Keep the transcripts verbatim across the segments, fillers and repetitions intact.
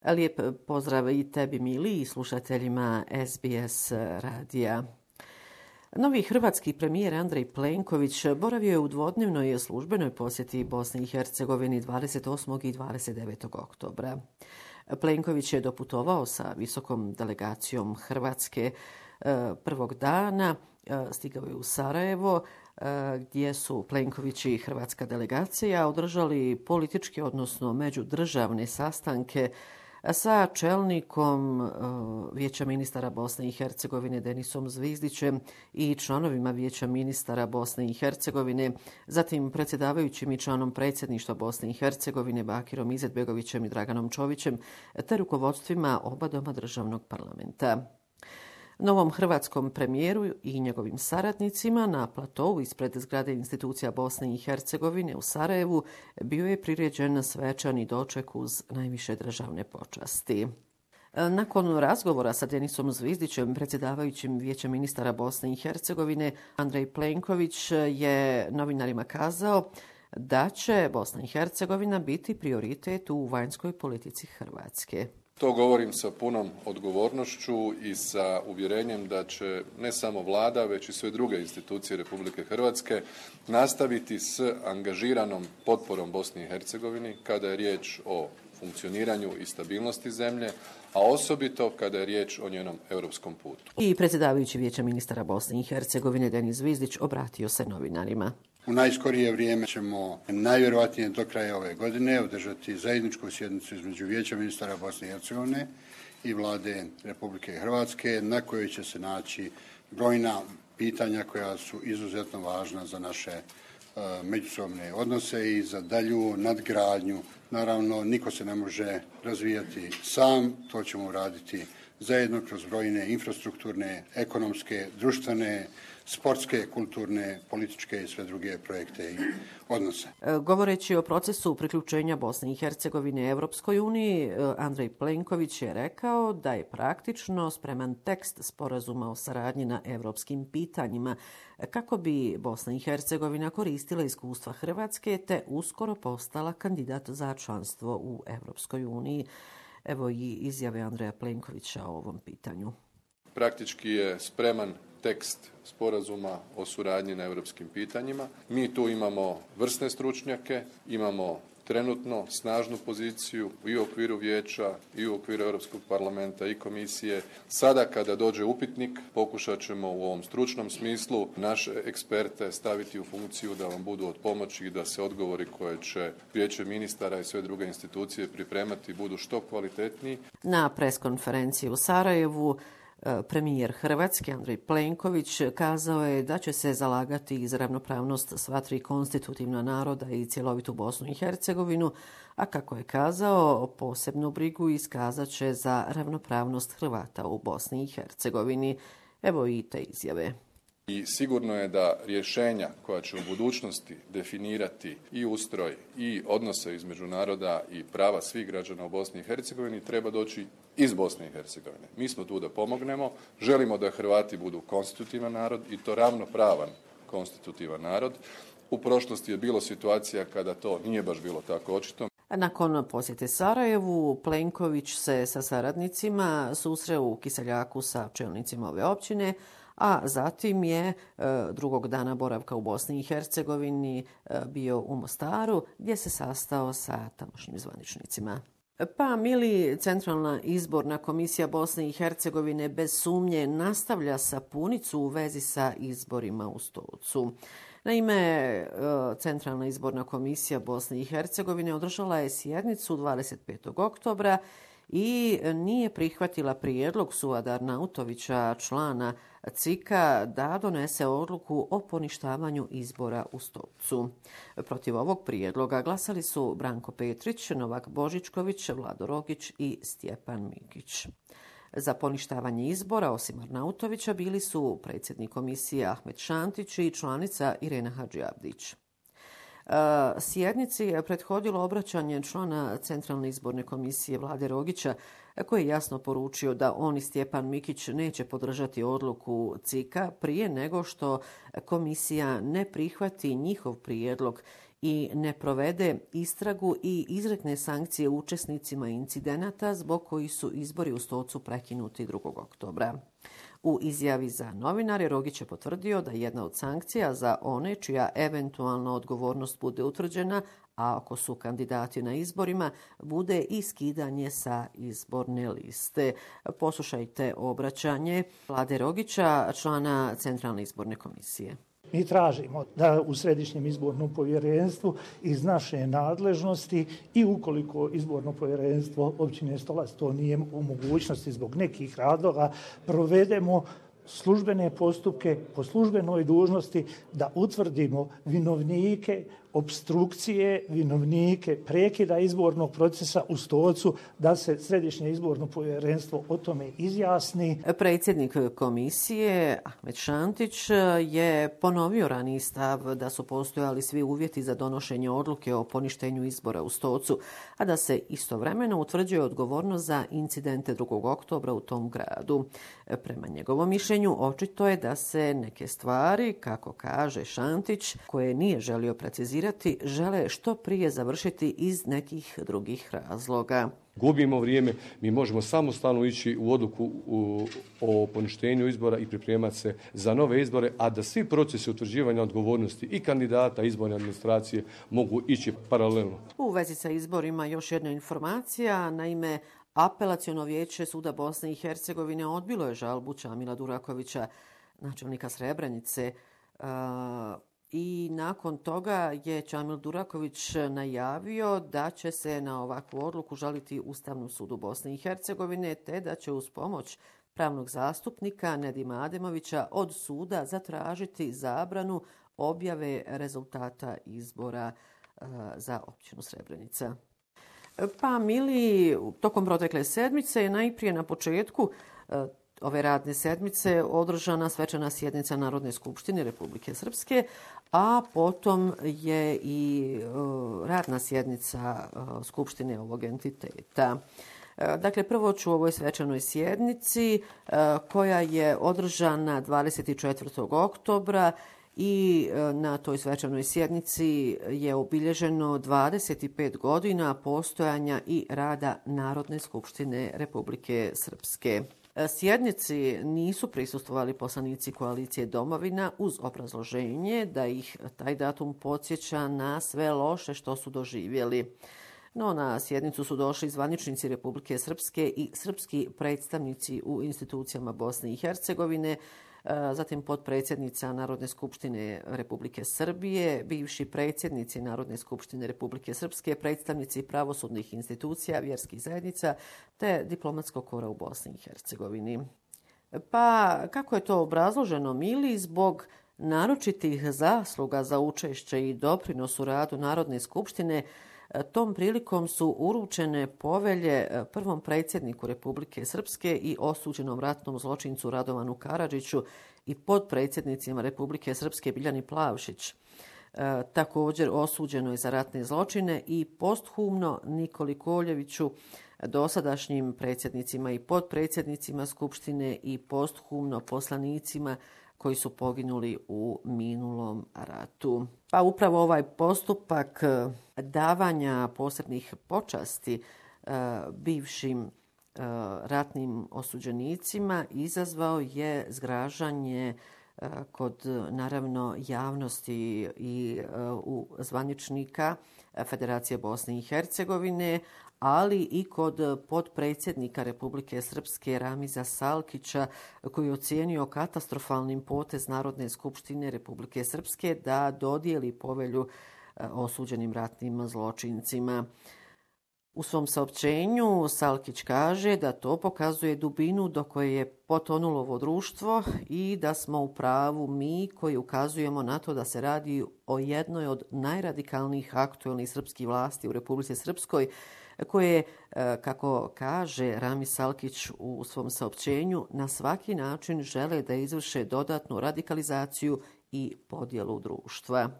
Lijep pozdrav i tebi, Mili, i slušateljima S B S radija. Novi hrvatski premijer Andrej Plenković boravio je u dvodnevnoj službenoj posjeti Bosni i Hercegovini dvadeset osmog i dvadeset devetog oktobra. Plenković je doputovao sa visokom delegacijom Hrvatske prvog dana, stigao je u Sarajevo, gdje su Plenković i hrvatska delegacija održali političke, odnosno međudržavne sastanke sa čelnikom Vijeća ministara Bosne i Hercegovine Denisom Zvizdićem i članovima Vijeća ministara Bosne i Hercegovine, zatim predsjedavajućim i članom predsjedništva Bosne i Hercegovine Bakirom Izetbegovićem i Draganom Čovićem, te rukovodstvima oba doma državnog parlamenta. Novom hrvatskom premijeru i njegovim saradnicima na platovu ispred zgrade institucija Bosne i Hercegovine u Sarajevu bio je priređen svečani doček uz najviše državne počasti. Nakon razgovora sa Denisom Zvizdićem, predsjedavajućim Vijeća ministara Bosne i Hercegovine, Andrej Plenković je novinarima kazao da će Bosna i Hercegovina biti prioritet u vanjskoj politici Hrvatske. To govorim sa punom odgovornošću i sa uvjerenjem da će ne samo vlada, već i sve druge institucije Republike Hrvatske nastaviti s angažiranom potporom Bosni i Hercegovini kada je riječ o funkcioniranju i stabilnosti zemlje, a osobito kada je riječ o njenom europskom putu. I predsjedavajući Vijeća ministara Bosne i Hercegovine Denis Zvizdić obratio se novinarima. U najskorije vrijeme ćemo najvjerojatnije do kraja ove godine održati zajedničku sjednicu između Vijeća ministara Bosne i Hercegovine i Vlade Republike Hrvatske, na kojoj će se naći brojna pitanja koja su izuzetno važna za naše uh, međusobne odnose i za dalju nadgradnju. Naravno, niko se ne može razvijati sam, to ćemo raditi zajedno kroz brojne infrastrukturne, ekonomske, društvene, sportske, kulturne, političke i sve druge projekte i odnose. Govoreći o procesu priključenja Bosne i Hercegovine Evropskoj uniji, Andrej Plenković je rekao da je praktično spreman tekst sporazuma o saradnji na evropskim pitanjima kako bi Bosna i Hercegovina koristila iskustva Hrvatske te uskoro postala kandidat za članstvo u Evropskoj uniji. Evo i izjave Andreja Plenkovića o ovom pitanju. Praktički je spreman tekst sporazuma o suradnji na europskim pitanjima. Mi tu imamo vrsne stručnjake, imamo trenutno snažnu poziciju i u okviru vijeća i u okviru Europskog parlamenta i komisije. Sada kada dođe upitnik pokušat ćemo u ovom stručnom smislu naše eksperte staviti u funkciju da vam budu od pomoći i da se odgovori koje će Vijeće ministara i sve druge institucije pripremati budu što kvalitetniji. Na preskonferenciji u Sarajevu premijer Hrvatske Andrej Plenković kazao je da će se zalagati za ravnopravnost sva tri konstitutivna naroda i cjelovitu Bosnu i Hercegovinu, a kako je kazao, posebnu brigu iskazat će za ravnopravnost Hrvata u Bosni i Hercegovini. Evo i te izjave. I sigurno je da rješenja koja će u budućnosti definirati i ustroj i odnose između naroda i prava svih građana u Bosni i Hercegovini treba doći iz Bosne i Hercegovine. Mi smo tu da pomognemo, želimo da Hrvati budu konstitutivan narod i to ravnopravan konstitutivan narod. U prošlosti je bilo situacija kada to nije baš bilo tako očito. Nakon posjete Sarajevu, Plenković se sa saradnicima susreo u Kiseljaku sa čelnicima ove općine, a zatim je drugog dana boravka u Bosni i Hercegovini bio u Mostaru, gdje se sastao sa tamošnjim zvaničnicima. Pa, Mili, Centralna izborna komisija Bosne i Hercegovine bez sumnje nastavlja sapunicu u vezi sa izborima u Stocu. Naime, Centralna izborna komisija Bosne i Hercegovine održala je sjednicu dvadeset petog oktobra i nije prihvatila prijedlog Suada Arnautovića, člana C I K-a, da donese odluku o poništavanju izbora u Stolcu. Protiv ovog prijedloga glasali su Branko Petrić, Novak Božičković, Vlado Rogić i Stjepan Mikić. Za poništavanje izbora, osim Arnautovića, bili su predsjednik komisije Ahmed Šantić i članica Irena Hadžiavdić. Sjednici je prethodilo obraćanje člana Centralne izborne komisije Vlade Rogića, koji je jasno poručio da on i Stjepan Mikić neće podržati odluku C I K-a prije nego što komisija ne prihvati njihov prijedlog i ne provede istragu i izrekne sankcije učesnicima incidenata zbog kojih su izbori u Stocu prekinuti drugog oktobra. U izjavi za novinare Rogić je potvrdio da jedna od sankcija za one čija eventualna odgovornost bude utvrđena, a ako su kandidati na izborima, bude i skidanje sa izborne liste. Poslušajte obraćanje Vlade Rogića, člana Centralne izborne komisije. Mi tražimo da u Središnjem izbornom povjerenstvu iz naše nadležnosti i ukoliko izborno povjerenstvo općine Stolac to nije u mogućnosti zbog nekih razloga, provedemo službene postupke po službenoj dužnosti da utvrdimo vinovnike opstrukcije, vinovnike prekida izbornog procesa u Stocu, da se Središnje izborno povjerenstvo o tome izjasni. Predsjednik komisije Ahmet Šantić je ponovio raniji stav da su postojali svi uvjeti za donošenje odluke o poništenju izbora u Stocu, a da se istovremeno utvrđuje odgovornost za incidente drugog oktobra u tom gradu. Prema njegovom mišljenju očito je da se neke stvari, kako kaže Šantić, koje nije želio precizirati, žele što prije završiti iz nekih drugih razloga. Gubimo vrijeme, mi možemo samostalno ići u odluku u, o poništenju izbora i pripremati se za nove izbore, a da svi procesi utvrđivanja odgovornosti i kandidata izborne administracije mogu ići paralelno. U vezi sa izborima još jedna informacija, naime Apelaciono vijeće Suda Bosne i Hercegovine odbilo je žalbu Čamila Durakovića, načelnika Srebrenice, i nakon toga je Čamil Duraković najavio da će se na ovakvu odluku žaliti Ustavnom sudu Bosne i Hercegovine, te da će uz pomoć pravnog zastupnika Nedima Ademovića od suda zatražiti zabranu objave rezultata izbora za općinu Srebrenica. Pa Mili, tokom protekle sedmice, najprije na početku ove radne sedmice održana svečana sjednica Narodne skupštine Republike Srpske, a potom je i radna sjednica skupštine ovog entiteta. Dakle, prvo ću o ovoj svečanoj sjednici koja je održana dvadeset četvrtog oktobra i na toj svečanoj sjednici je obilježeno dvadeset pet godina postojanja i rada Narodne skupštine Republike Srpske. Sjednici nisu prisustvovali poslanici koalicije Domovina uz obrazloženje da ih taj datum podsjeća na sve loše što su doživjeli. No, na sjednicu su došli zvaničnici Republike Srpske i srpski predstavnici u institucijama Bosne i Hercegovine, zatim potpredsjednica Narodne skupštine Republike Srbije, bivši predsjednici Narodne skupštine Republike Srpske, predstavnici pravosudnih institucija, vjerskih zajednica te diplomatskog kora u Bosni i Hercegovini. Pa kako je to obrazloženo, Mili? Zbog naročitih zasluga za učešće i doprinos u radu Narodne skupštine, tom prilikom su uručene povelje prvom predsjedniku Republike Srpske i osuđenom ratnom zločincu Radovanu Karadžiću i potpredsjednicima Republike Srpske Biljani Plavšić. E, također osuđeno je za ratne zločine i posthumno Nikoli Koljeviću, dosadašnjim predsjednicima i potpredsjednicima Skupštine i posthumno poslanicima koji su poginuli u minulom ratu. Pa upravo ovaj postupak davanja posebnih počasti e, bivšim e, ratnim osuđenicima izazvao je zgražanje e, kod naravno javnosti i e, u zvaničnika Federacije Bosne i Hercegovine, ali i kod potpredsjednika Republike Srpske Ramiza Salkića, koji je ocijenio katastrofalnim potez Narodne skupštine Republike Srpske da dodijeli povelju osuđenim ratnim zločincima. U svom saopćenju Salkić kaže da to pokazuje dubinu do koje je potonulo ovo društvo i da smo u pravu mi koji ukazujemo na to da se radi o jednoj od najradikalnijih aktuelnih srpskih vlasti u Republici Srpskoj, koje, kako kaže Rami Salkić u svom saopćenju, na svaki način žele da izvrše dodatnu radikalizaciju i podjelu društva.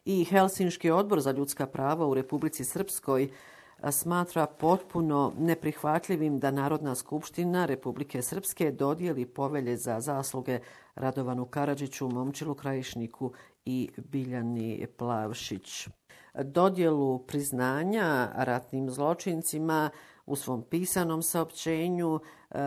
I Helsinški odbor za ljudska prava u Republici Srpskoj smatra potpuno neprihvatljivim da Narodna skupština Republike Srpske dodijeli povelje za zasluge Radovanu Karadžiću, Momčilu Krajišniku i Biljani Plavšić. Dodjelu priznanja ratnim zločincima u svom pisanom saopćenju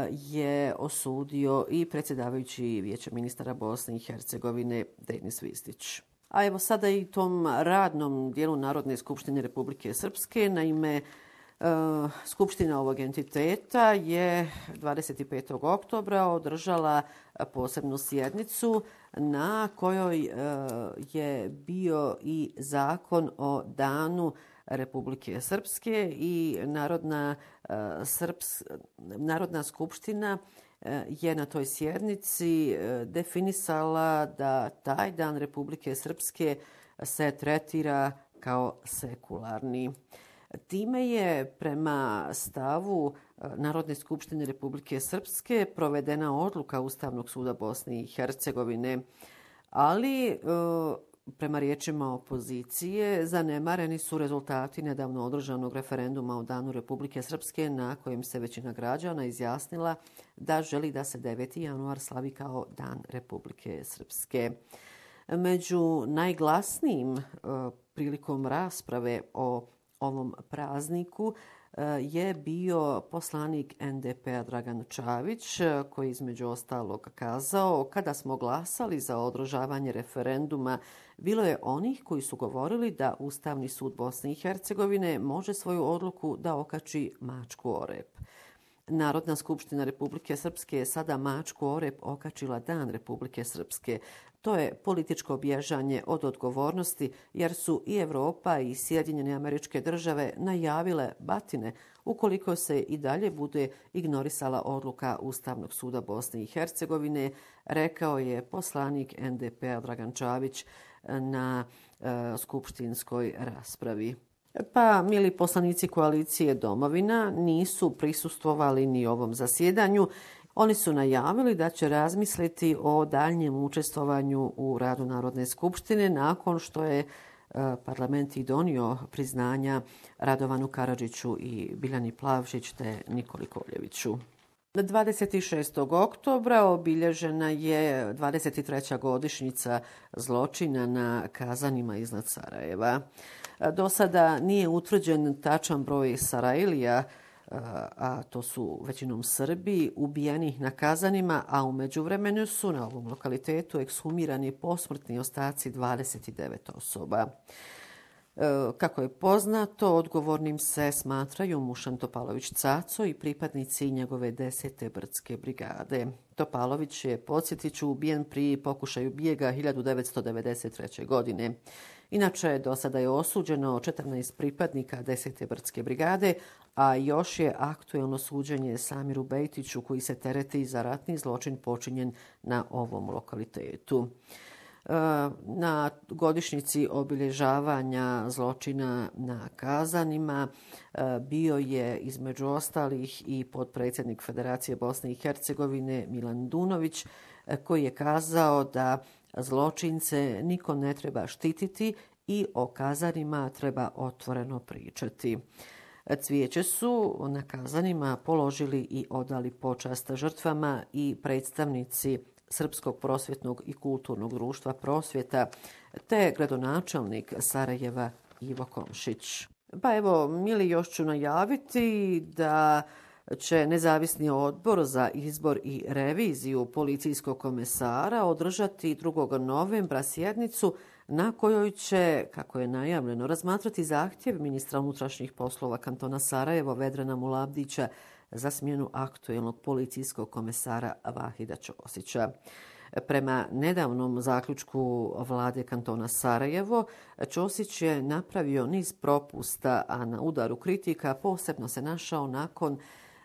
je osudio i predsjedavajući Vijeća ministara Bosne i Hercegovine Denis Vistić. A evo sada i tom radnom dijelu Narodne skupštine Republike Srpske, naime, Skupština ovog entiteta je dvadeset petog oktobra održala posebnu sjednicu na kojoj je bio i zakon o danu Republike Srpske i Narodna, Srps, Narodna skupština je na toj sjednici definisala da taj dan Republike Srpske se tretira kao sekularni. Time je prema stavu Narodne skupštine Republike Srpske provedena odluka Ustavnog suda Bosne i Hercegovine, ali prema riječima opozicije zanemareni su rezultati nedavno održanog referenduma o danu Republike Srpske na kojem se većina građana izjasnila da želi da se deveti januar slavi kao dan Republike Srpske. Među najglasnijim prilikom rasprave o ovom prazniku je bio poslanik en de pe a Dragan Čavić, koji između ostalog kazao: kada smo glasali za održavanje referenduma, bilo je onih koji su govorili da Ustavni sud Bosne i Hercegovine može svoju odluku da okači mačku o rep. Narodna skupština Republike Srpske je sada mačku o rep okačila dan Republike Srpske. To je političko bježanje od odgovornosti, jer su i Evropa i Sjedinjene Američke Države najavile batine ukoliko se i dalje bude ignorisala odluka Ustavnog suda Bosne i Hercegovine, rekao je poslanik en de pe a Dragan Čavić na e, skupštinskoj raspravi. Pa, mili poslanici koalicije Domovina nisu prisustvovali ni ovom zasjedanju. Oni su najavili da će razmisliti o daljnjem učestvovanju u radu Narodne skupštine nakon što je parlament i donio priznanja Radovanu Karadžiću i Biljani Plavšić te Nikoli Koljeviću. dvadeset šestog oktobra obilježena je dvadeset treća godišnjica zločina na Kazanima iznad Sarajeva. Do sada nije utvrđen tačan broj Sarajlija, a to su većinom Srbi, ubijenih na Kazanima, a u međuvremenu su na ovom lokalitetu ekshumirani posmrtni ostaci dvadeset devet osoba. Kako je poznato, odgovornim se smatraju Mušan Topalović Caco i pripadnici njegove desete brdske brigade. Topalović je, podsjetit ću, ubijen pri pokušaju bijega hiljadu devetsto devedeset treće. godine. Inače, do sada je osuđeno četrnaest pripadnika desete brdske brigade, a još je aktuelno suđenje Samiru Bejtiću, koji se tereti za ratni zločin počinjen na ovom lokalitetu. Na godišnjici obilježavanja zločina na Kazanima bio je između ostalih i potpredsjednik Federacije Bosne i Hercegovine Milan Dunović, koji je kazao da zločince niko ne treba štititi i o Kazanima treba otvoreno pričati. Cvijeće su na Kazanima položili i odali počast žrtvama i predstavnici Srpskog prosvjetnog i kulturnog društva Prosvjeta te gradonačelnik Sarajeva Ivo Komšić. Pa evo, mili, još ću najaviti da će nezavisni odbor za izbor i reviziju policijskog komesara održati drugog novembra sjednicu na kojoj će, kako je najavljeno, razmatrati zahtjev ministra unutrašnjih poslova kantona Sarajevo Vedrana Mulabdića za smjenu aktuelnog policijskog komesara Vahida Ćosića. Prema nedavnom zaključku vlade kantona Sarajevo, Ćosić je napravio niz propusta, a na udaru kritika posebno se našao nakon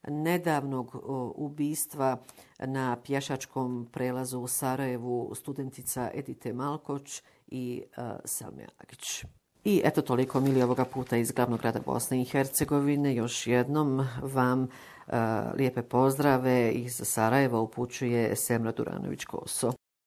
nedavnog ubistva na pješačkom prelazu u Sarajevu studentica Edite Malkoć i uh, Selme Agić. I eto toliko, mili, ovoga puta iz glavnog grada Bosne i Hercegovine. Još jednom vam uh, lijepe pozdrave iz Sarajeva upućuje Semra Duranović-Koso.